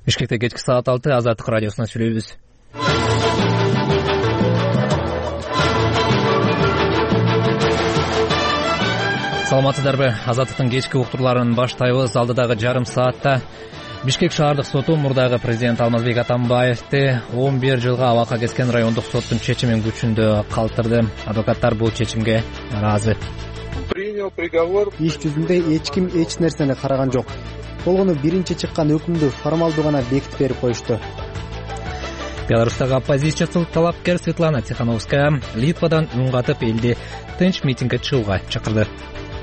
Бишкекте кечки саат 6 Азаттык радиосуна сүйлөйбүз. Саламатсыздарбы? Азаттыктын кечки уктурларын баштайбыз. Алдыдагы жарым саатта Бишкек шаардык соту мурдагы президент Алмазбек Атамбаевди 11 жылга абакка кескен райондук соттун чечимин күчүндө калтырды. Адвокаттар бул чечимге ыраазы. Принял приговор. Иш жүзүндө эч ким эч нерсени караган жок. Болгону биринчи чыккан өкүмдү формалдуу гана бекитип берип коюшту. Беларустагы оппозициячыл талапкер Светлана Тихановская Литвадан үн катып элди тынч митингге чыгууга чакырды.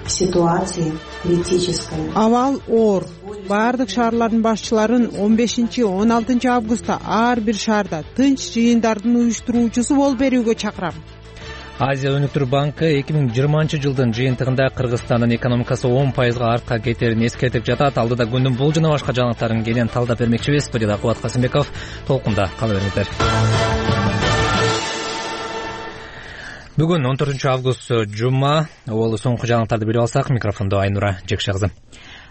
Ситуация критическая. Абал оор. Баардык шаарлардын башчыларын 15-16 августта ар бир шаарда тынч жыйындардын уюштуруучусу болуп берүүгө чакырам. Азия өнүктүрүү банкы 2020 жылдын жыйынтыгында Кыргызстандын экономикасы 10% артка кетерин эскертип жатат. Алдыда күндүн бул жана башка жаңылыктарын кенен талдап бермекчибиз. Студияда Кубат Касымбеков, толкунда кала бериңиздер. Бүгүн 14 август жума. Ол соңку жаңылыктарды билип алсак, микрофондо Айнура Жекше кызы.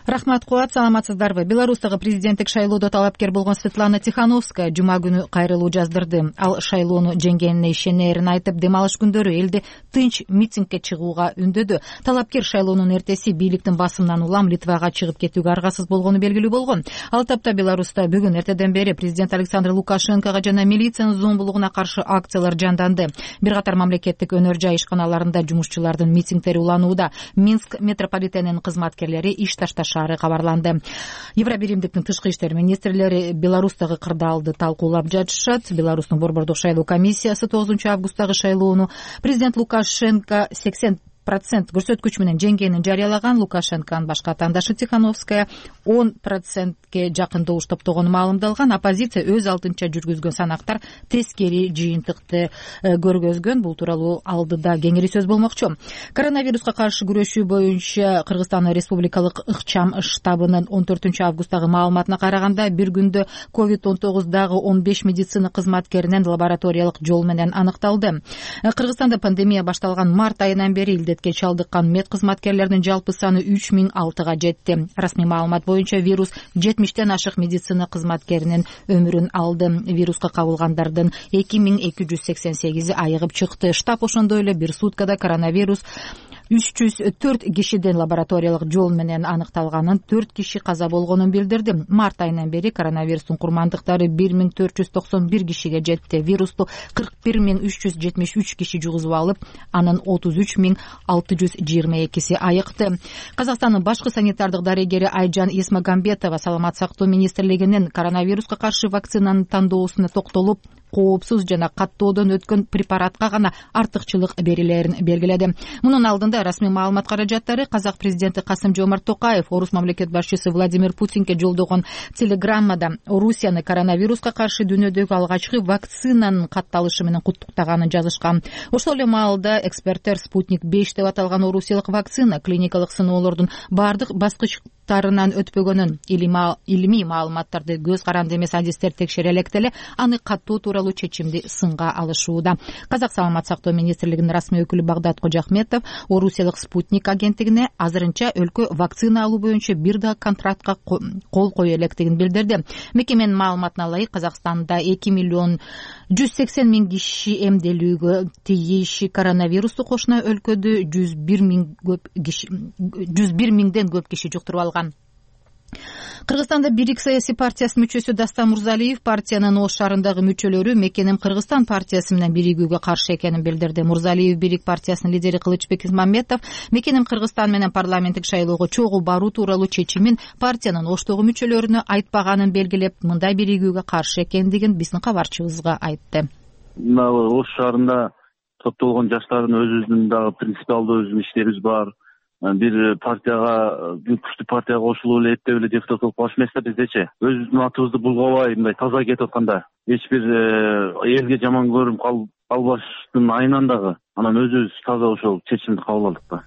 Рахмат, Кубат, саламатсыздарбы? Беларустагы президенттик шайлоодо талапкер болгон Светлана Тихановская жума күнү кайрылуу жаздырды. Ал шайлоону жеңгенине ишенерин айтып, дем алыш күндөрү элди тынч митингге чыгууга үндөдү. Талапкер шайлоонун эртеси бийликтин басымынан улам Литвага чыгып кетүүгө аргасыз болгону белгилүү болгон. Ал тапта Беларуста бүгүн эртеден бери президент Александр Лукашенкого жана милициянын зомбулугуна каршы акциялар жанданды. Бир катар мамлекеттик өнөр жай ишканаларында жумушчулардын митингдери уланууда. Минск метрополитенинин кызматкерлери иш ташташары кабарланды. Евробиримдиктин тышкы иштер министрлери Беларустагы кырдаалды талкуулап жатышат. Беларустун борбордук шайлоо комиссиясы 9 августтагы шайлоону президент Лукашенко 80% көрсөткүч менен жеңгенин жарыялаган. Лукашенконун башка атаандашы Тихановская 10%ке жакын добуш топтогону маалымдалган. Оппозиция өз алдынча жүргүзгөн санактар тескери жыйынтыкты көргөзгөн. Бул тууралуу алдыда кеңири сөз болмокчу. Коронавируска каршы күрөшүү боюнча Кыргызстан Республикалык ыкчам штабынын 14 августтагы маалыматына караганда, бир күндө COVID-19 дагы 15 медицина кызматкеринен лабораториялык жол менен аныкталды. Кыргызстанда пандемия башталган март айынан бери илдетке чалдыккан мед кызматкерлеринин жалпы саны 3006га жетти. Расмий маалымат боюнча вирус 70ден ашык медицина кызматкеринин өмүрүн алды. Вируска кабылгандардын 2288 айыгып чыкты. Штаб ошондой эле бир суткада коронавирус 304 кишиден лабораториялык жол менен аныкталганын, 4 киши каза болгонун билдирди. Март айынан бери коронавирустун курмандыктары 1491 кишиге жетти. Вирусту 41373 киши жугузуп алып, анын 33622 айыкты. Казакстандын башкы санитардык дарегери Айжан Есмагамбетова Саламат сактоо министрлигинин коронавируска каршы вакцинанын тандоосуна токтолуп, коопсуз жана каттоодон өткөн препаратка гана артыкчылык берилерин белгиледи. Мунун алдында расмий маалымат каражаттары казак президенти Касым-Жомарт Токаев орус мамлекет башчысы Владимир Путинге жолдогон телеграммада Орусияны коронавируска каршы дүйнөдөгү алгачкы вакцинанын катталышы менен куттуктаганын жазышкан. Ошол эле маалда эксперттер Спутник 5 деп аталган орусиялык вакцина клиникалык сыноолордун бардык баскычтарынан өтпөгөнүн, илимий маалыматтарды көз каранды эмес адистер текшере электе эле аны каттоо тууралуу чечимди сынга алышууда. Казак саламат сактоо министрлигинин расмий өкүлү Багдат Кожахметов орусиялык Спутник агенттигине азырынча өлкө вакцина алуу боюнча бир да контрактка кол кое электигин билдирди. Мекеменин маалыматына ылайык, Казакстанда 2.180.000 киши эмделүүгө тийиш. Коронавирусту кошуна өлкөдө 101 миңден көп киши жуктуруп алган. Кыргызстанда Бирик саясий партиясынын мүчөсү Дастан Мурзалиев партиянын Ош шаарындагы мүчөлөрү Мекеним Кыргызстан партиясы менен биригүүгө каршы экенин билдирди. Мурзалиев Бирик партиясынын лидери Кылычбек Исмамбетов Мекеним Кыргызстан менен парламенттик шайлоого чогуу баруу тууралуу чечимин партиянын Оштогу мүчөлөрүнө айтпаганын белгилеп, мындай биригүүгө каршы экендигин биздин кабарчыбызга айтты. Ош шаарында топтолгон жаштардын өзүбүздүн дагы принципиалдуу иштерибиз бар. Бир партияга, бир күчтүү партияга кошулуп эле эптеп эле депутат болуп калыш эмес да биздечи. Өзүбүздүн атыбызды булгабай, мындай таза кетип атканда, эч бир элге жаман көрүнүп калбаштын айынан дагы анан өзүбүз таза ошол чечимди кабыл алдык да.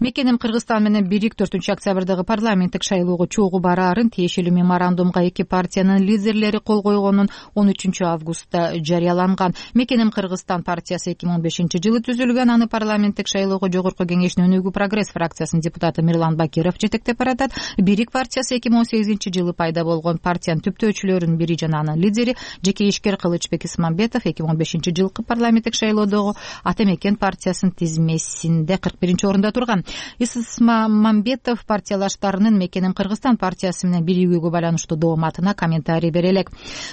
Мекеним Кыргызстан менен бирик 4-октябрдагы парламенттик шайлоого чогуу бараарын тиешелүү меморандумга эки партиянын лидерлери кол койгонун 13-августта жарыяланган. Мекеним Кыргызстан партиясы 2015-жылы түзүлгөн. Аны парламенттик шайлоого Жогорку Кеңештин Өнүгүү прогресс фракциясынын депутаты Мирлан Бакиров жетектеп баратат. Бирик партиясы 2018-жылы пайда болгон. Партиянын түптөөчүлөрүнүн бири жана анын лидери жеке ишкер Кылычбек Исмамбетов 2005-жылкы парламенттик шайлоодогу Ата Мекен партиясынын тизмесинде 41-орунда турган. Исмамбетов партиялаштарынын Мекеним Кыргызстан партиясы менен биригүүгө байланыштуу дооматына комментарий бере элек.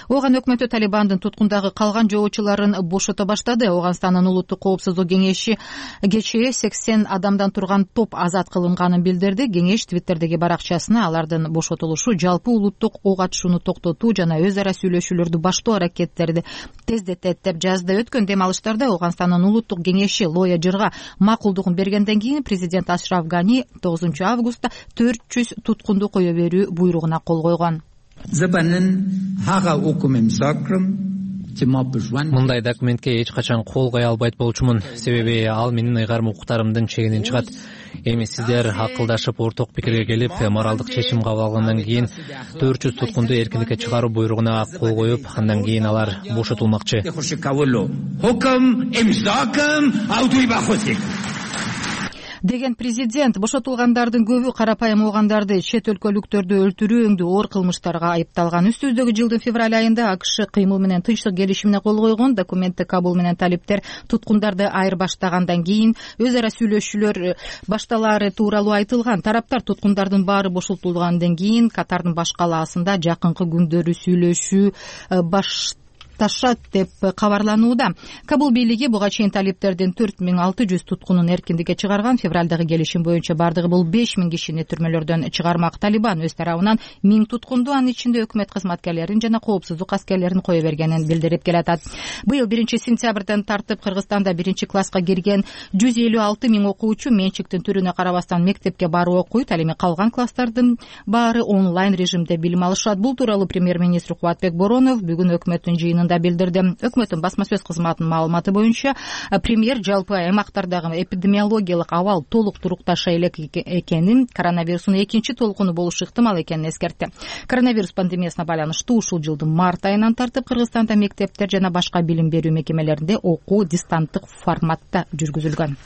Ооган өкмөтү Талибандын туткундагы калган жоочуларын бошото баштады. Ооганстандын улуттук коопсуздук кеңеши кечээ 80 адамдан турган топ азат кылынганын билдирди. Кеңеш Твиттердеги баракчасына алардын бошотулушу жалпы улуттук ок атышууну токтотуу жана өз ара сүйлөшүүлөрдү баштоо аракеттерди тездетет деп жазды. Өткөн дем алыштарда Ооганстандын улуттук кеңеши Лоя Жырга макулдугун бергенден кийин президент Ашраф Гани 9-августта 400 туткунду кое берүү буйругуна кол койгон. Мындай документке эч качан кол кое албайт болчумун, себеби ал менин ыйгарым укуктарымдын чегинен чыгат. Эми сиздер акылдашып орток пикирге келип, моралдык чечим кабыл алгандан кийин 400 туткунду эркиндикке чыгаруу буйругуна кол коюп, андан кийин алар бошотулмакчы. Деген президент бошотулгандардын көбү карапайым оогандарды, чет өлкөлүктөрдү өлтүрүү өңдүү оор кылмыштарга айыпталган. Үстүбүздөгү жылдын февраль айында АКШ кыймыл менен тынчтык келишимине кол койгон. Документти Кабул менен талиптер туткундарды айырбаштагандан кийин өз ара сүйлөшүүлөр башталаары тууралуу айтылган. Тараптар туткундардын баары бошотулгандан кийин Катардын баш калаасында жакынкы күндөрү сүйлөшүү башташат деп кабарланууда. Кабул бийлиги буга чейин талиптердин 4600 туткунун эркиндикке чыгарган. Февралдагы келишим боюнча бардыгы бул 5000 кишини түрмөлөрдөн чыгармак. Талибан өз тарабынан 1000 туткунду, анын ичинде өкмөт кызматкерлерин жана коопсуздук аскерлерин кое бергенин билдирип келатат. Быйыл 1-сентябрдан тартып Кыргызстанда 1-класска кирген 156 000 окуучу менчиктин түрүнө карабастан мектепке барып окуйт. Ал эми калган класстардын баары онлайн режимде билим алышат. Бул тууралуу премьер-министр Кубатбек Боронов бүгүн өкмөттүн жыйынында билдирди. Өкмөттүн басма сөз кызматынын маалыматы боюнча, премьер жалпы аймактардагы эпидемиологиялык абал толук турукташа элек экенин, коронавирустун экинчи толкуну болушу ыктымал экенин эскертти. Коронавирус пандемиясына байланыштуу ушул жылдын март айынан тартып Кыргызстанда мектептер жана башка билим берүү мекемелеринде окуу дистанттык форматта жүргүзүлгөн.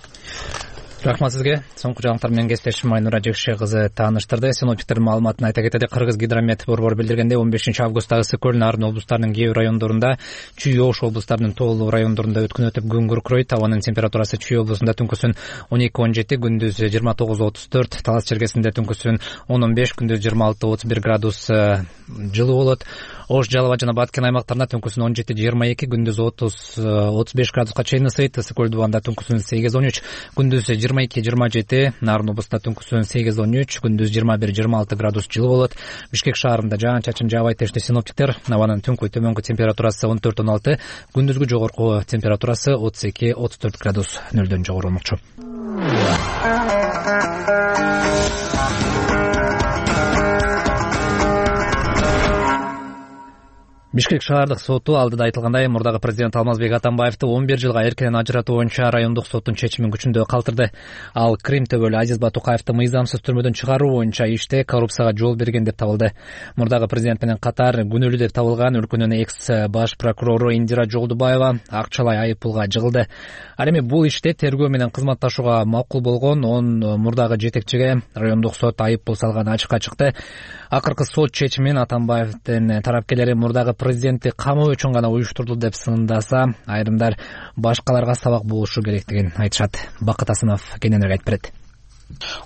Рахмат сизге. Соңку жаңылыктар менен кесиптешим Айнура Жекше кызы тааныштырды. Синоптиктердин маалыматын айта кетели. Кыргыз гидромет борбору билдиргендей, 15-августта ысык көл, Нарын облустарынын кээ бир райондорунда, Чүй Ош облустарынын тоолуу райондорунда өткөн өтүп күн күркүрөйт. Абанын температурасы Чүй облусунда түнкүсүн 12-17, күндүз 29-34, Талас чергесинде түнкүсүн 10-15, күндүз 26-31 градус жылуу болот. Ош, Жалала жана Баткен аймактарында түнкүсүн 17-22, күндүз 30-35 градуска чейин ысыйт. Ысык көл дубанда түнкүсүн 8-13, күндүз 22-27, Нарын облустунда түнкүсүн 8-13, күндүз 21-26 градус жылуу болот. Бишкек шаарында жаан-чачын жаабайт дешти синоптиктер. Абанын түнкү төмөнкү температурасы 14-16, күндүзгү жогорку температурасы 32-34 градус нөлдөн жогору болмокчу. Бишкек шаардык соту алдыда айтылгандай мурдагы президент Алмазбек Атамбаевди 11 жылга эркинен ажыратуу боюнча райондук соттун чечимин күчүндө калтырды. Ал Крим төбөлү Азиз Батукаевди мыйзамсыз түрмөдөн чыгаруу боюнча иште коррупцияга жол берген деп табылды. Мурдагы президент менен катар күнөөлүү деп табылган өлкөнүн экс баш прокурору Индира Жолдубаева акчалай айыппулга жыгылды. Ал эми бул иште тергөө менен кызматташууга макул болгон 10 мурдагы жетекчиге райондук сот айыппул салганы ачыкка чыкты. Акыркы сот чечимин Атамбаевдин тарапкерлери мурдагы президентти камоо үчүн гана уюштурду деп сындаса, айрымдар башкаларга сабак болушу керектигин айтышат. Бакыт Асынов кененирээк айтып берет.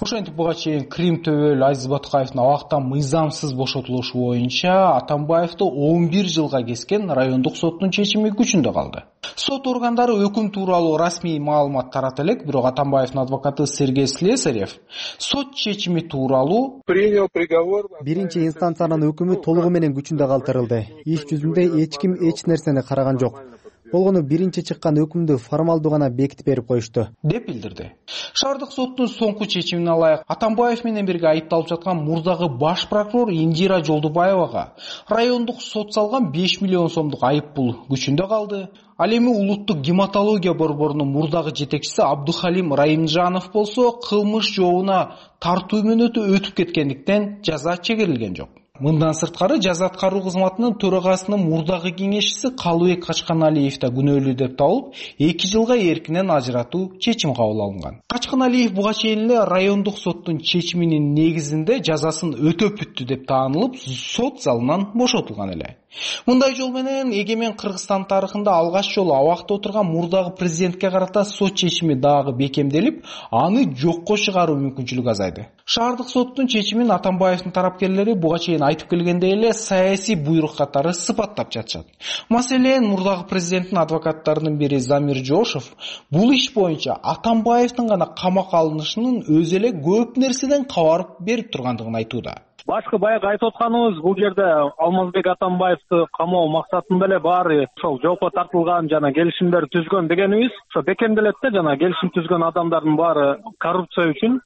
Ошентип буга чейин Крим төбөлү Азиз Батукаевдин абактан мыйзамсыз бошотулушу боюнча Атамбаевди 11 жылга кескен райондук соттун чечими күчүндө калды. Сот органдары өкүм тууралуу расмий маалымат тарата элек, бирок Атамбаевдин адвокаты Сергей Слесарев сот чечими тууралуу принял приговор. Биринчи инстанциянын өкүмү толугу менен күчүндө калтырылды. Иш жүзүндө эч ким эч нерсени караган жок. болгону биринчи чыккан өкүмдү формалдуу гана бекитип берип коюшту, деп билдирди. Шаардык соттун соңку чечимине ылайык Атамбаев менен бирге айыпталып жаткан мурдагы баш прокурор Индира Жолдубаевага райондук сот салган 5 миллион сомдук айып пул күчүндө калды. Ал эми улуттук гематология борборунун мурдагы жетекчиси Абдухалим Райымжанов болсо кылмыш жообуна тартуу мөөнөтү өтүп кеткендиктен жаза чегерилген жок. Мындан сырткары жаза аткаруу кызматынын төрагасынын мурдагы кеңешчиси Калыбек Качканалиев да күнөөлүү деп табылып, 2 жылга эркинен ажыратуу чечим кабыл алынган. Качканалиев буга чейин эле райондук соттун чечиминин негизинде жазасын өтөп бүттү деп таанылып, сот залынан бошотулган эле. Мындай жол менен эгемен Кыргызстан тарыхында алгач жолу абакта отурган мурдагы президентке карата сот чечими дагы бекемделип, аны жокко чыгаруу мүмкүнчүлүгү азайды. Шаардык соттун чечимин Атамбаевдин тарапкерлери буга чейин айтып келгендей эле саясий буйрук катары сыпаттап жатышат. Маселен, мурдагы президенттин адвокаттарынын бири Замир Жошов бул иш боюнча Атамбаевдин гана камакка алынышынын өзү эле көп нерседен кабар берип тургандыгын айтууда. Башкы баягы айтып атканыбыз, бул жерде Алмазбек Атамбаевди камоо максатында эле баары ошол жоопко тартылган жана келишимдер түзгөн дегенибиз ошо бекемделет да, жана келишим түзгөн адамдардын баары коррупция үчүн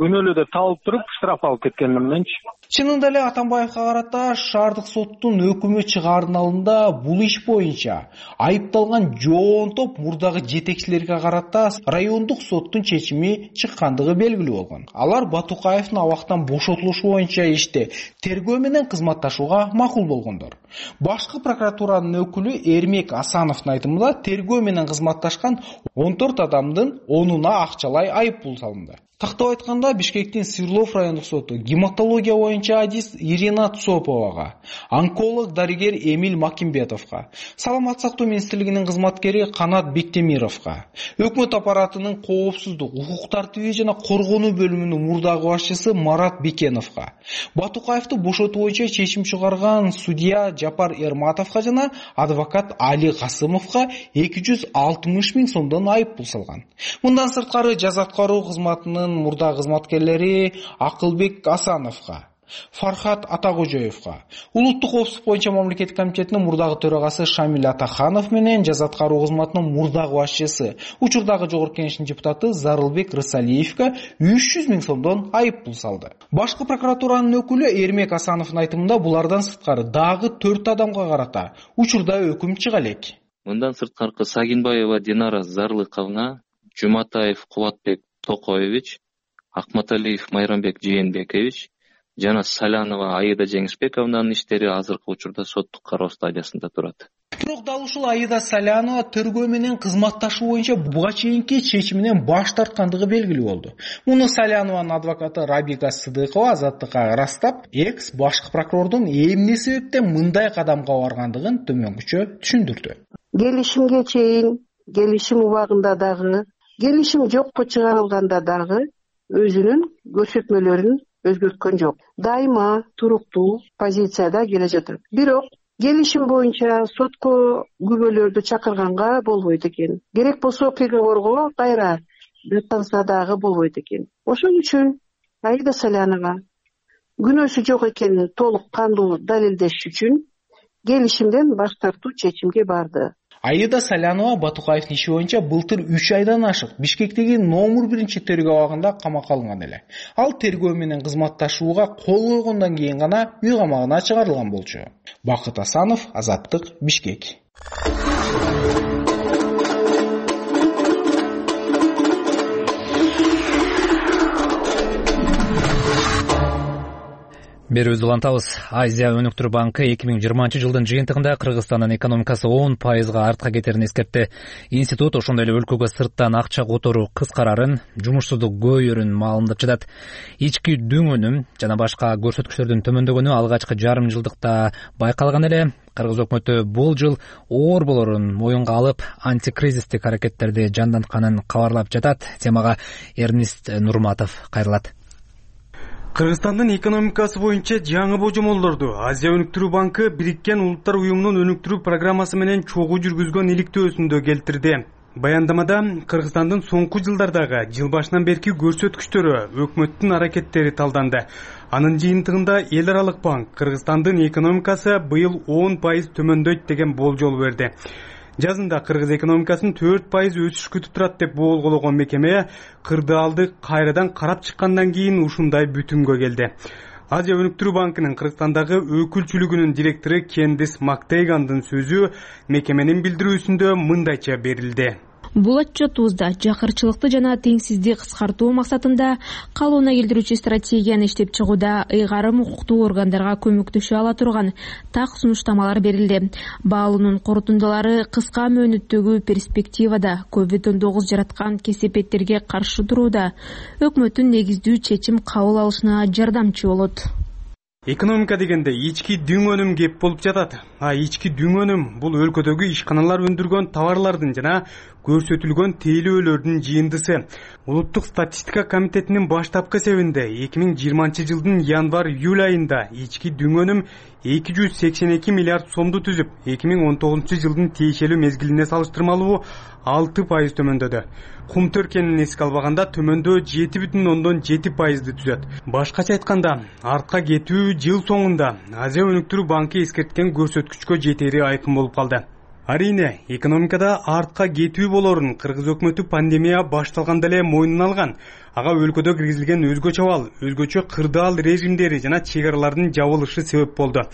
күнөөлүү деп табылып туруп штраф алып кеткени мененчи. Чынында эле Атамбаевга карата шаардык соттун өкүмү чыгаардын алдында бул иш боюнча айыпталган жоон топ мурдагы жетекчилерге карата райондук соттун чечими чыккандыгы белгилүү болгон. Алар Батукаевдин абактан бошотулушу боюнча иште тергөө менен кызматташууга макул болгондор. Башкы прокуратуранын өкүлү Эрмек Асановдун айтымында тергөө менен кызматташкан 14 адамдын 10-уна акчалай айып пул салынды. Тактап айтканда, Бишкектин Свердлов райондук соту гематология боюнча адис Ирина Цоповага, онколог дарыгер Эмиль Макимбетовго, Саламат сактоо министрлигинин кызматкери Канат Бектемировго, өкмөт аппаратынын коопсуздук, укук тартиби жана коргонуу бөлүмүнүн мурдагы башчысы Марат Бекеновго, Батукаевди бошотуу боюнча чечим чыгарган судья Жапар Эрматовго жана адвокат Али Касымовго 260 миң сомдон айып пул салган. Мындан сырткары жаза аткаруу кызматынын мурда кызматкерлери Акылбек Асановго, Фархат Атакожоевго, улуттук коопсуздук боюнча мамлекеттик комитетинин мурдагы төрагасы Шамил Атаханов менен жаза аткаруу кызматынын мурдагы башчысы, учурдагы жогорку кеңештин депутаты Зарылбек Рысалиевге 300 миң сомдон айып пул салды. Башкы прокуратуранын өкүлү Эрмек Асановдун айтымында булардан сырткары дагы 4 адамга карата учурда өкүм чыга элек. Мындан сырткары Сагинбаева Динара Зарлыковна, Жуматаев Кубатбек Токоевич, Акматалиев Майрамбек Жээнбекович жана Салянова Аида Жеңишбековнанын иштери азыркы учурда соттук кароо стадиясында турат. Бирок дал ушул Аида Салянова тергөө менен кызматташуу боюнча буга чейинки чечиминен баш тарткандыгы белгилүү болду. Муну Салянованын адвокаты Рабига Сыдыкова Азаттыкка ырастап, экс башкы прокурордун эмне себептен мындай кадамга баргандыгын төмөнгүчө түшүндүрдү. Келишимге чейин, келишим убагында дагы, келишим жокко чыгарылганда дагы өзүнүн көрсөтмөлөрүн өзгөрткөн жок. Дайыма туруктуу позицияда келе жатат. Бирок келишим боюнча сотко күбөлөрдү чакырганга болбойт экен. Керек болсо приговорго кайра даттанса дагы болбойт экен. Ошон үчүн Аида Салянова күнөөсү жок экенин толук кандуу далилдеш үчүн келишимден баш тартуу чечимге барды. Аида Салянова Батукаевдин иши боюнча былтыр 3 айдан ашык Бишкектеги номер 1 тергөө абагында камакка алынган эле. Ал тергөө менен кызматташууга кол койгондон кийин гана үй камагына чыгарылган болчу. Бакыт Асанов, Азаттык, Бишкек. Берүүбүздү улантабыз. Азия өнүктүрүү банкы 2020 жылдын жыйынтыгында Кыргызстандын экономикасы 10% артка кетерин эскертти. Институт ошондой эле өлкөгө сырттан акча которуу кыскарарын, жумушсуздук көбөйөрүн маалымдап жатат. Ички дүңөнүм жана башка көрсөткүчтөрдүн төмөндөгөнү алгачкы жарым жылдыкта байкалган эле. Кыргыз өкмөтү бул жыл оор болорун моюнга алып, антикризистик аракеттерди жандантканын кабарлап жатат. Темага Эрнист Нурматов кайрылат. Кыргызстандын экономикасы боюнча жаңы божомолдорду Азия өнүктүрүү банкы Бириккен Улуттар уюмунун өнүктүрүү программасы менен чогуу жүргүзгөн иликтөөсүндө келтирди. Баяндамада Кыргызстандын соңку жылдардагы жыл башынан берки көрсөткүчтөрү, өкмөттүн аракеттери талданды. Анын жыйынтыгында эл аралык банк Кыргызстандын экономикасы быйыл 10% төмөндөйт деген болжол берди. Жазында кыргыз экономикасын 4% өсүш күтүп турат деп болгоологон мекеме кырдаалды кайрадан карап чыккандан кийин ушундай бүтүмгө келди. Азия өнүктүрүү банкынын Кыргызстандагы өкүлчүлүгүнүн директору Кендис Мактейгандын сөзү мекеменин билдирүүсүндө мындайча берилди. Бул отчетубузда жакырчылыкты жана теңсиздикти кыскартуу максатында калыбына келтирүүчү стратегияны иштеп чыгууда ыйгарым укуктуу органдарга көмөктөшө ала турган так сунуштамалар берилди. Баалоонун корутундалары кыска мөөнөттөгү перспективада COVID-19 жараткан кесепеттерге каршы турууда өкмөттүн негиздүү чечим кабыл алышына жардамчы болот. Экономика дегенде ички дүң өнүм кеп болуп жатат. Ички дүң өнүм бул өлкөдөгү ишканалар өндүргөн товарлардын жана көрсөтүлгөн тейлөөлөрдүн жыйындысы. Улуттук статистика комитетинин баштапкы эсебинде 2020 жылдын январь-июль айында ички дүң өнүм 282 миллиард сомду түзүп, 2019 жылдын тиешелүү мезгилине салыштырмалуу 6% төмөндөдү. Кум төркенин эске албаганда төмөндөө 7,7%ды түзөт. Башкача айтканда, артка кетүү жыл соңунда Азия өнүктүрүү банкы эскерткен көрсөткүчкө жетери айкын болуп калды. Арийне, экономикада артка кетүү болорун кыргыз өкмөтү пандемия башталганда эле мойнуна алган. Ага өлкөдө киргизилген өзгөчө абал, өзгөчө кырдаал режимдери жана чек аралардын жабылышы себеп болду.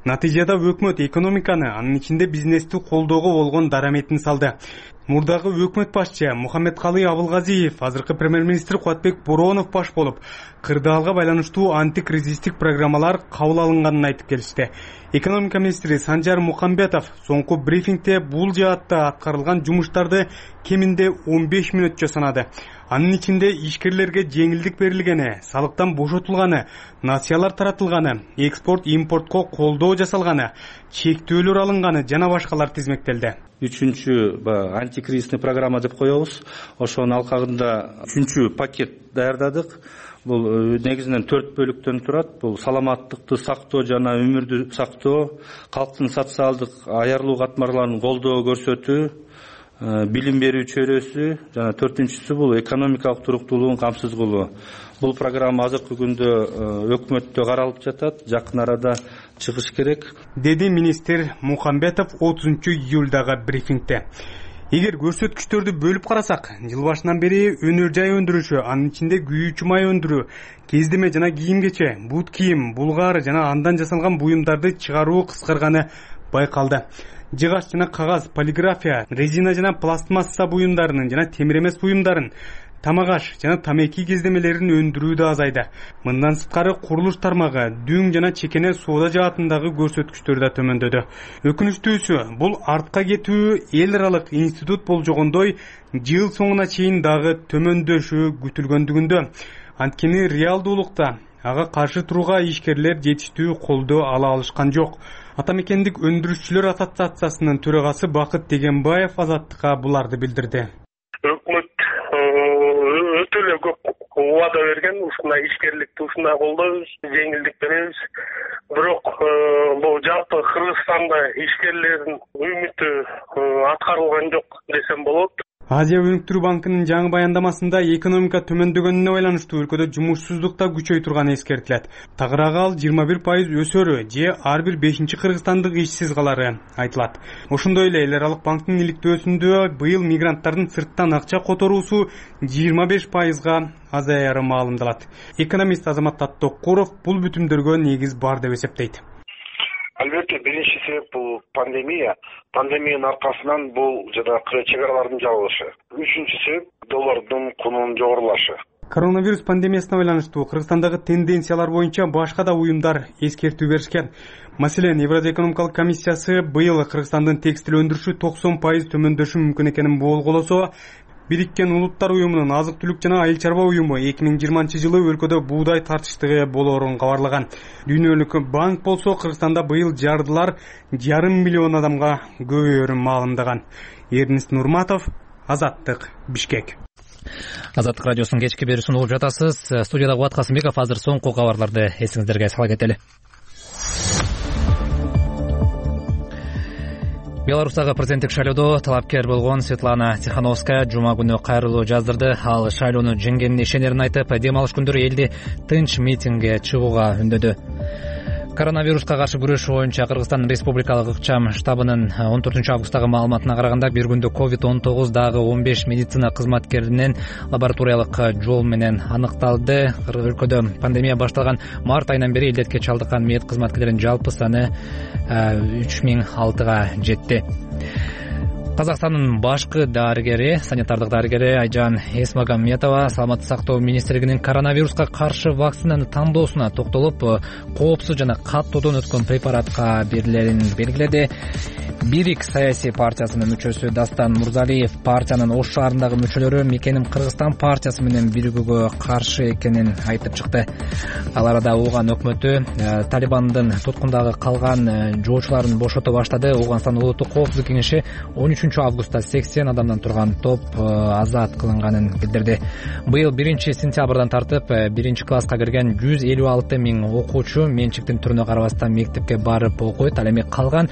Натыйжада өкмөт экономиканы, анын ичинде бизнести колдоого болгон дараметин салды. Мурдагы өкмөт башчы Мухаммедкалый Абылгазиев, азыркы премьер-министр Кубатбек Боронов баш болуп, кырдаалга байланыштуу антикризистик программалар кабыл алынганын айтып келишти. Экономика министри Санжар Мукамбетов соңку брифингде бул жаатта аткарылган жумуштарды кеминде 15 мүнөтчө санады. Анын ичинде ишкерлерге жеңилдик берилгени, салыктан бошотулганы, нациялар таратылганы, экспорт-импортко колдоо жасалганы, чектөөлөр алынганы жана башкалар тизмектелди. Үчүнчү антикризисный программа деп коебуз. Ошонун алкагында 3-чү пакет даярдадык. Бул негизинен 4 бөлүктөн турат. Бул саламаттыкты сактоо жана өмүрдү сактоо, калктын социалдык аярлуу катмарларын колдоо көрсөтүү, билим берүү чөйрөсү жана 4-чүсү бул экономикалык туруктуулугун камсыз кылуу. Бул программа азыркы күндө өкмөттө каралып жатат, жакын арада чыгыш керек, деди министр Мухамбетов 30-июлдагы брифингде. Эгер көрсөткүчтөрдү бөлүп карасак, жыл башынан бери өнөр жай өндүрүшү, анын ичинде күйүүчү май өндүрүү, кездеме жана кийим-кече, бут кийим, булгар жана андан жасалган буюмдарды чыгаруу кыскарганы байкалды. Жыгач жана кагаз, полиграфия, резина жана пластмасса буюмдарынын жана темир эмес буюмдарын, тамагаш жана тамеки кездемелерин өндүрүү да азайды. Мындан сырткары курулуш тармагы, дүң жана чекене соода жаатындагы көрсөткүчтөр да төмөндөдү. Өкүнүчтүүсү, бул артка кетүү эл аралык институт болжогондой жыл соңуна чейин дагы төмөндөшү күтүлгөндүгүндө. Анткени реалдуулукта ага каршы турууга ишкерлер жетиштүү колдоо ала алышкан жок. Атамекендик өндүрүшчүлөр ассоциациясынын төрагасы Бакыт Дегенбаев Азаттыкка буларды билдирди. Өкмөт өтө эле көп убада берген, ушундай ишкерликти ушундай колдойбуз, жеңилдик беребиз. Бирок бул жалпы Кыргызстанда ишкерлердин үмүтү аткарылган жок десем болот. Азия өнүктүрүү банкынын жаңы баяндамасында экономика төмөндөгөнүнө байланыштуу өлкөдө жумушсуздук да күчөй турганы эскертилет. Тагыраагы ал 21% өсөрү же ар бир 5-чи кыргызстандык ишсиз калары айтылат. Ошондой эле эл аралык банктын иликтөөсүндө быйыл мигранттардын сырттан акча которуусу 25%га азаяры маалымдалат. Экономист Азамат Аттокуров бул бүтүмдөргө негиз бар деп эсептейт. Албетте, биринчи себеп бул пандемия. Пандемиянын аркасынан бул жана чек аралардын жабылышы. Үчүнчү себеп доллардын кунунун жогорулашы. Коронавирус пандемиясына байланыштуу Кыргызстандагы тенденциялар боюнча башка да уюмдар эскертүү беришкен. Маселен, Евразия экономикалык комиссиясы быйыл Кыргызстандын текстил өндүрүшү 90% төмөндөшү мүмкүн экенин болгоосо, Бириккен Улуттар уюмунун азык-түлүк жана айыл чарба уюму 2020 жылы өлкөдө буудай тартыштыгы болоорун кабарлаган. Дүйнөлүк банк болсо Кыргызстанда быйыл жардылар 5,5 миллион адамга көбөйөрүн маалымдаган. Эрнест Нурматов, Азаттык, Бишкек. Азаттык радиосунун кечки берүүсүн угуп жатасыз. Студияда Кубат Касымбеков. Азыр соңку кабарларды эсиңиздерге сала кетели. Беларустагы президенттик шайлоодо талапкер болгон Светлана Тихановская жума күнү кайрылуу жаздырды. Ал шайлоону жеңгенине ишенерин айтып, дем алыш күндөрү элди тынч митингге чыгууга үндөдү. Коронавируска каршы күрөшүү боюнча Кыргызстан Республикалык ыкчам штабынын 14-августтагы маалыматына караганда бир күндө COVID-19 дагы 15 медицина кызматкеринен лабораториялык жол менен аныкталды. Өлкөдө пандемия башталган март айынан бери илдетке чалдыккан мед кызматкерлеринин жалпы саны 3006га жетти. Казакстандын башкы дарыгери, санитардык дарыгери Айжан Эсмагамметова саламаттык сактоо министрлигинин коронавируска каршы вакцинаны тандоосуна токтолуп, коопсуз жана каттоодон өткөн препаратка берилерин белгиледи. Бирик саясий партиясынын мүчөсү Дастан Мурзалиев партиянын Ош шаарындагы мүчөлөрү Мекеним Кыргызстан партиясы менен биригүүгө каршы экенин айтып чыкты. Ал арада Ооган өкмөтү Талибандын туткундагы калган жоочуларын бошото баштады. Ооганстан Улуттук коопсуздук кеңеши 13-августта 80 адамдан турган топ азат кылынганын билдирди. Быйыл 1-сентябрдан тартып 1-класска кирген 156 миң окуучу менчиктин түрүнө карабастан мектепке барып окуйт. Ал эми калган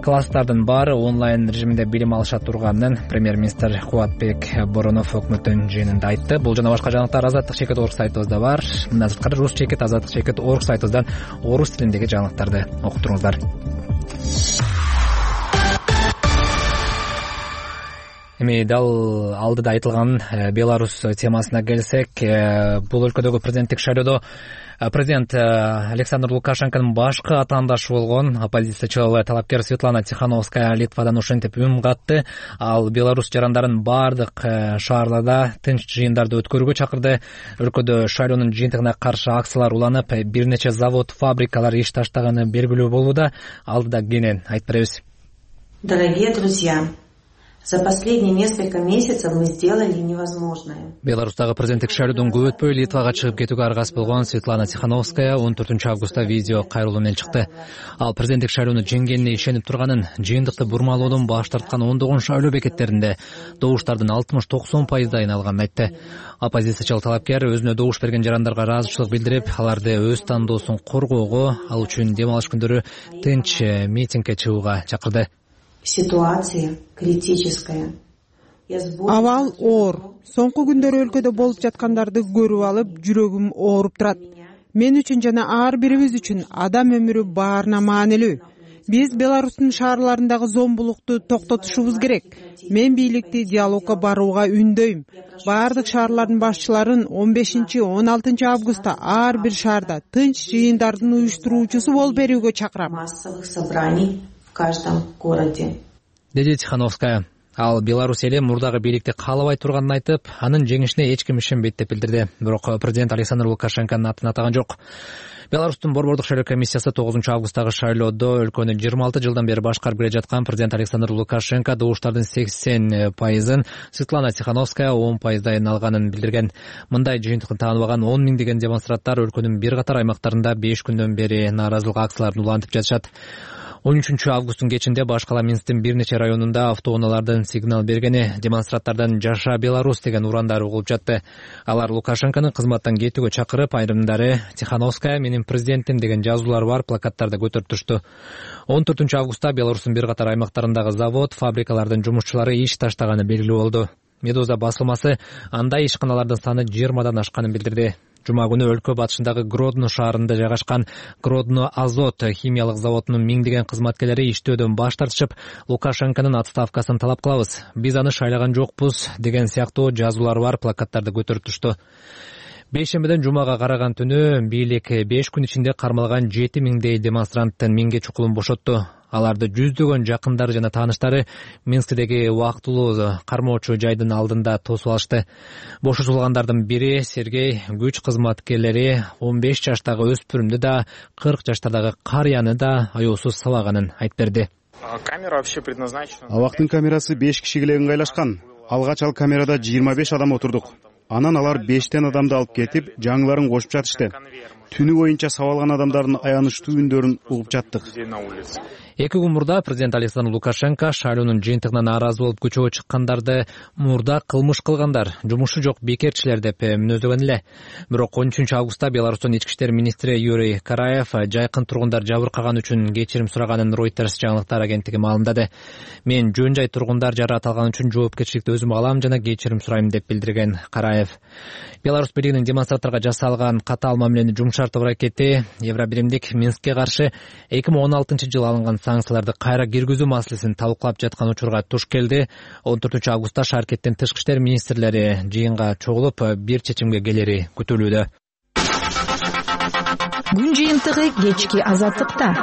класстардын баары онлайн режиминде билим алыша турганын премьер-министр Кубатбек Боронов өкмөттүн жыйынында айтты. Бул жана башка жаңылыктар Азаттык чекит орг сайтыбызда бар. Мындан сырткары Рус чекит Азаттык чекит орг сайтыбыздан орус тилиндеги жаңылыктарды окуп туруңуздар. Эми дал алдыда айтылган Беларусь темасына келсек, бул өлкөдөгү президенттик шайлоодо президент Александр Лукашенконун башкы атаандашы болгон оппозициячыл талапкер Светлана Тихановская Литвадан ошентип үн катты. Ал Беларусь жарандарын бардык шаарларда тынч жыйындарды өткөрүүгө чакырды. Өлкөдө шайлоонун жыйынтыгына каршы акциялар уланып, бир нече завод, фабрикалар иш таштаганы белгилүү болууда. Алдыда кенен айтып беребиз. Дорогие друзья, за последние несколько месяцев мы сделали невозможное. Беларустагы президенттик шайлоодон көп өтпөй Литвага чыгып кетүүгө аргасыз болгон Светлана Тихановская 14-августта видео кайрылуу менен чыкты. Ал президенттик шайлоону жеңгенине ишенип турганын, жыйынтыкты бурмалоодон баш тарткан ондогон шайлоо бекеттеринде добуштардын 60-90% алганын айтты. Оппозициячыл талапкер өзүнө добуш берген жарандарга ыраазычылык билдирип, аларды өз тандоосун коргоого, ал үчүн дем алыш күндөрү тынч митингге чыгууга чакырды. Ситуация критическая. Абал оор. Соңку күндөрү өлкөдө болуп жаткандарды көрүп алып, жүрөгүм ооруп турат. Мен үчүн жана ар бирибиз үчүн адам өмүрү баарына маанилүү. Биз Беларустун шаарларындагы зомбулукту токтотушубуз керек. Мен бийликти диалогко барууга үндөйм. Бардык шаарлардын башчыларын 15-16 августта ар бир шаарда тынч жыйындардын уюштуруучусу болуп берүүгө чакырам. Массовых собраний в каждом городе. Деди Тихановская. Ал Беларусь эли мурдагы бийликти каалабай турганын айтып, анын жеңишине эч ким ишенбейт деп билдирди. Бирок президент Александр Лукашенконун атын атаган жок. Беларустун борбордук шайлоо комиссиясы 9-августтагы шайлоодо өлкөнү 26 жылдан бери башкарып келе жаткан президент Александр Лукашенко добуштардын 80%ын Светлана Тихановская 10%ын алганын билдирген. Мындай жыйынтыкты тааныбаган 10 миңдеген демонстранттар өлкөнүн бир катар аймактарында 5 күндөн бери нааразылык акцияларын улантып жатышат. 13-августтун кечинде башкала Минсктин бир нече районунда автоунаалардын сигнал бергени демонстранттардан «Жаша Беларусь» деген урандары угулуп жатты. Алар Лукашенконун кызматтан кетүүгө чакырып, айрымдары «Тихановская менин президентим» деген жазуулар бар плакаттарды көтөрүп турушту. 14-августта Беларустун бир катар аймактарындагы завод, фабрикалардын жумушчулары иш таштаганы белгилүү болду. Медуза басылмасы андай ишканалардын саны 20дан ашканын билдирди. Жума күнү өлкө батышындагы Гродно шаарында жайгашкан Гродно Азот химиялык заводунун миңдеген кызматкерлери иштөөдөн баш тартышып, Лукашенконун отставкасын талап кылабыз. Биз аны шайлаган жокпуз деген сыяктуу жазуулар бар плакаттарды көтөрүп турушту. Бейшембиден жумага караган түнү бийлик 5 күн ичинде кармалган 7 миңдей демонстранттын миңге чукулун бошотту. Аларды жүздөгөн жакындары жана тааныштары Минсктеги убактылуу кармоочу жайдын алдында тосуп алышты. Бошотулгандардын бири Сергей күч кызматкерлери 15 жаштагы өспүрүмдү да 40 жаштагы карыяны да аяусуз сабаганын айтып берди. Абактын камерасы 5 кишиге ыңгайлашкан. Алгач ал камерада 25 адам отурдук. Анан алар 5тен адамды алып кетип, жаңыларын кошуп жатышты. Түнү боюнча сабалган адамдардын аянычтуу үндөрүн угуп жаттык. 2 күн мурда президент Александр Лукашенко шайлоонун жыйынтыгынан нааразы болуп көчөгө чыккандарды мурда кылмыш кылгандар, жумушу жок бекерчилер деп мүнөздөгөн эле. Бирок 13 августта Беларустун ички иштер министри Юрий Караев жайкын тургундар жабыркаган үчүн кечирим сураганын Reuters жаңылыктар агенттиги маалымдады. Мен жөн жай тургундар жараат алган үчүн жоопкерчиликти өзүм алам жана кечирим сурайм деп билдирген Караев. Беларусь бийлигинин демонстранттарга жасалган катаал мамилени жумшартуу аракети Евробиримдик Минскке каршы 2016-жылы алынган санкцияларды кайра киргизүү маселесин талкуулап жаткан учурга туш келди. 14 августта шаркеттин тышкы иштер министрлери жыйынга чогулуп бир чечимге келери күтүлүүдө. Күн жыйынтыгы кечки Азаттыкта.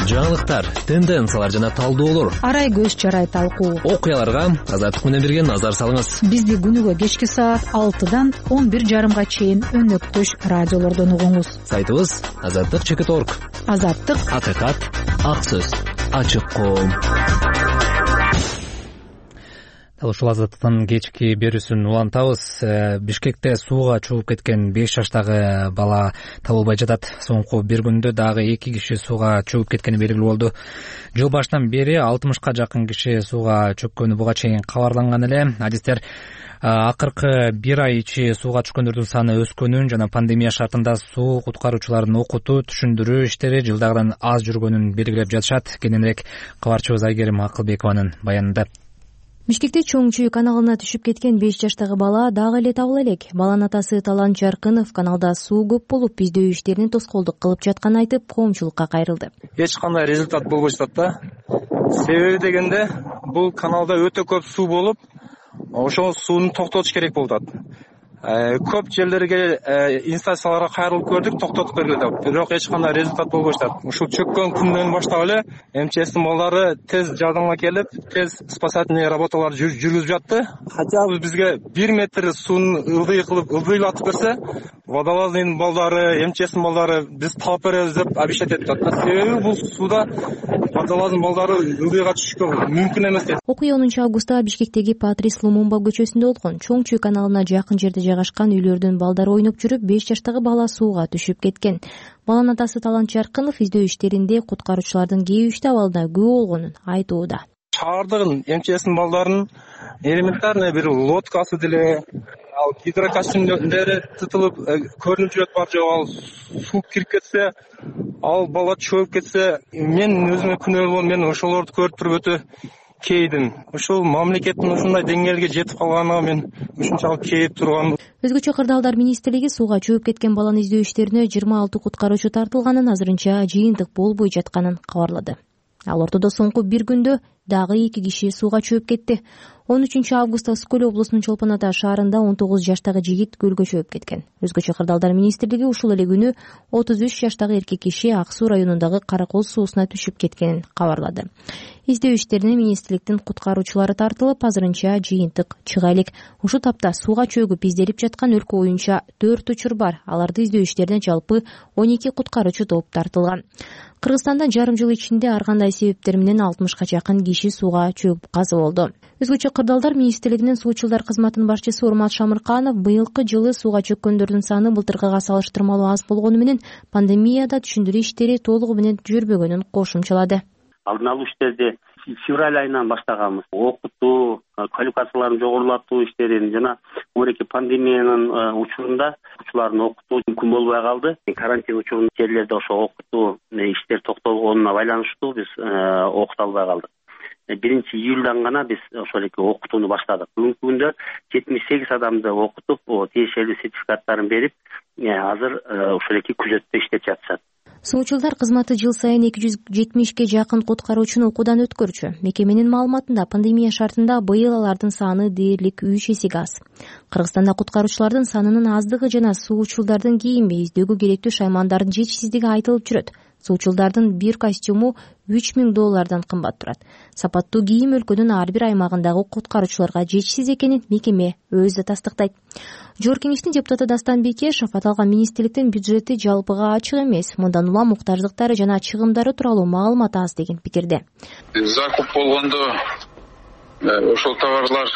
Жаңылыктар, тенденциялар жана талдоолор. Арай көз чарай талкуу. Окуяларга Азаттык менен бирге назар салыңыз. Бизди күнүгө кечки саат 6-дан 11:30 чейин өнөктөш радиолордон угуңуз. Сайтыбыз azattik.org. Азаттык, акыйкат, ак сөз, ачык коом. Ушул Азаттыктын кечки берүүсүн улантабыз. Бишкекте сууга чогуп кеткен 5 жаштагы бала табылбай жатат. Соңку бир күндө дагы 2 киши сууга чогуп кеткени белгилүү болду. Жыл башынан бери 60ка жакын киши сууга чөккөнү буга чейин кабарланган эле. Адистер акыркы бир ай ичи сууга түшкөндөрдүн саны өскөнүн жана пандемия шартында суу куткаруучуларын окутуу, түшүндүрүү иштери жылдагыдан аз жүргөнүн белгилеп жатышат. Кененирээк кабарчыбыз Айгерим Акылбекованын баянында. Бишкекте чоң чүй каналына түшүп кеткен 5 жаштагы бала дагы эле табыла элек. Баланын атасы Талант Жаркынов каналда суу көп болуп, издөө иштерине тоскоолдук кылып жатканын айтып, коомчулукка кайрылды. Эч кандай результат болбой жатат да. Себеби дегенде бул каналда өтө көп суу болуп, ошол сууну токтотуш керек болуп атат. Көп жерлерге инстанцияларга кайрылып көрдүк, токтотуп бергиле деп. Бирок эч кандай результат болбой жатат. Ушул чөккөн күндөн баштап эле МЧСтин балдары тез жардамга келип, тез спасательный работалар жүргүзүп жатты. Хотя бы бизге 1 метр сууну ылдыйлатып берсе, водолаздын балдары, МЧСтин балдары биз талап беребиз деп обещать этип атат. Себеби бул сууда водолаздын балдары ылдыйга түшүшкө мүмкүн эмес дейт. Окуя 10 августта Бишкектеги Патрис Лумумба көчөсүндө болгон. Чоң чүй каналына жакын жерде жайгашкан үйлөрдүн балдары ойноп жүрүп, 5 жаштагы бала сууга түшүп кеткен. Баланын атасы Талант Жаркынов издөө иштеринде куткаруучулардын кээ иште абалына күбө болгонун айтууда. Шаардын МЧСтин балдарынын элементарный бир лодкасы деле, ал гидрокостюмдери тытылып көрүнүп жүрөт бар жок, ал суу кирип кетсе, ал бала чөгүп кетсе, мен өзүмө күнөөлүү болом, мен ошолорду көрүп туруп өтө кейдим. Ушул мамлекеттин ушундай деңгээлге жетип калганына мен ушунчалык кейип тургам. Өзгөчө Кырдаалдар министрлиги сууга чөгүп кеткен баланы издөө иштерине 26 куткаруучу тартылганын, азырынча жыйынтык болбой жатканын кабарлады. Ал ортодо соңку бир күндө дагы 2 киши сууга чөгүп кетти. 13 августта Скөл облусунун Чолпон Ата шаарында 19 жаштагы жигит көлгө чөгүп кеткен. Өзгөчө Кырдаалдар министрлиги ушул эле күнү 33 жаштагы эркек киши Ак Суу районундагы Каракол суусуна түшүп кеткенин кабарлады. Издөө иштерине министрликтин куткаруучулары тартылып, азырынча жыйынтык чыга элек. Ушул тапта сууга чөгүп изделип жаткан өлкө боюнча 4 учур бар. Аларды издөө иштерине жалпы 12 куткаруучу топ тартылган. Кыргызстанда жарым жыл ичинде ар кандай себептер менен 60ка жакын киши сууга чөгүп каза болду. Өзгөчө Кырдаалдар министрлигинин суучулдар кызматынын башчысы Урмат Шамырканов быйылкы жылы сууга чөккөндөрдүн саны былтыркыга салыштырмалуу аз болгону менен пандемияда түшүндүрүү иштери толугу менен жүрбөгөнүн кошумчалады. Алдын алуу иштерди февраль айынан баштаганбыз. Окутуу, квалификацияларын жогорулатуу иштерин жана мынакей пандемиянын учурунда окуучуларды окутуу мүмкүн болбой калды. Карантин учурунда жерлерде ошо окутуу иштер токтолгонуна байланыштуу биз окута албай калдык. 1-июлдан гана биз ошол эки окутууну баштадык. Бүгүнкү күндө 78 адамды окутуп, тиешелүү сертификаттарын берип, азыр ошол эки күзөттө иштеп жатышат. Суучулдар кызматы жыл сайын 270ке жакын куткаруучуну окуудан өткөрчү. Мекеменин маалыматында пандемия шартында быйыл алардын саны дээрлик 3 эсеге аз. Кыргызстанда куткаруучулардын санынын аздыгы жана суучулдардын кийими издөөгө керектүү шаймандардын жетишсиздиги айтылып жүрөт. Суучулдардын бир костюму $3000 кымбат турат. Сапаттуу кийим өлкөнүн ар бир аймагындагы куткаруучуларга жетишсиз экенин мекеме өзү тастыктайт. Жогорку Кеңештин депутаты Дастан Бекешев аталган министрликтин бюджети жалпыга ачык эмес, мындан улам муктаждыктары жана чыгымдары тууралуу маалымат аз деген пикирде. Закуп болгондо ошол товарлар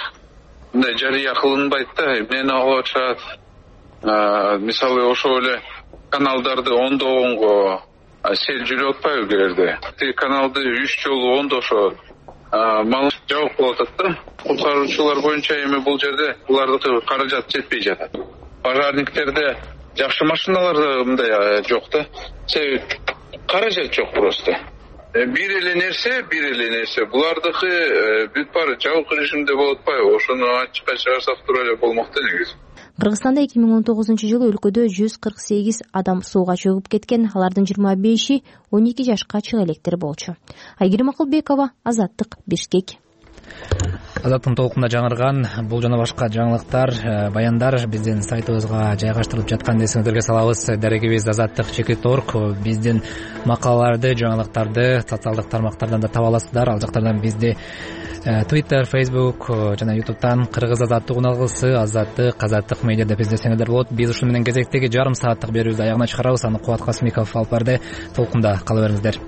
мындай жарыя кылынбайт да, эмнени алып атышат. Мисалы ошол эле каналдарды оңдогонго сел жүрүп атпайбы кээ бирде каналды 3 жолу оңдошо мал жабык болуп атат да. Куткаруучулар боюнча эми бул жерде булардыкы каражат жетпей жатат. Пожарниктерде жакшы машиналар мындай жок да. Себеби каражат жок просто. Бир эле нерсе булардыкы бүт баары жабык режимде болуп атпайбы? Ошону ачыкка чыгарсак тура эле болмок да негизи. Кыргызстанда 2019-жылы өлкөдө 148 адам сууга чөгүп кеткен. Алардын 25-и 12 жашка чыга электер болчу. Айгерим Акылбекова, Азаттык, Бишкек. Азаттын толкунда жаңырган бул жана башка жаңылыктар, баяндар биздин сайтыбызга жайгаштырылып жатканын эсиңиздерге салабыз. Дарегибиз Азаттык.org. Биздин макалаларды, жаңылыктарды социалдык тармактардан да таба аласыздар. Ал жактардан бизди Twitter, Facebook жана YouTube'дан Кыргыз Азаттык уналгысы, Азаттык медиа деп издесеңиздер болот. Биз ушуну менен кезектеги жарым сааттык берүүбүздү аягына чыгарабыз. Аны Кубат Касымиков алып барды. Толкунда кала бериңиздер.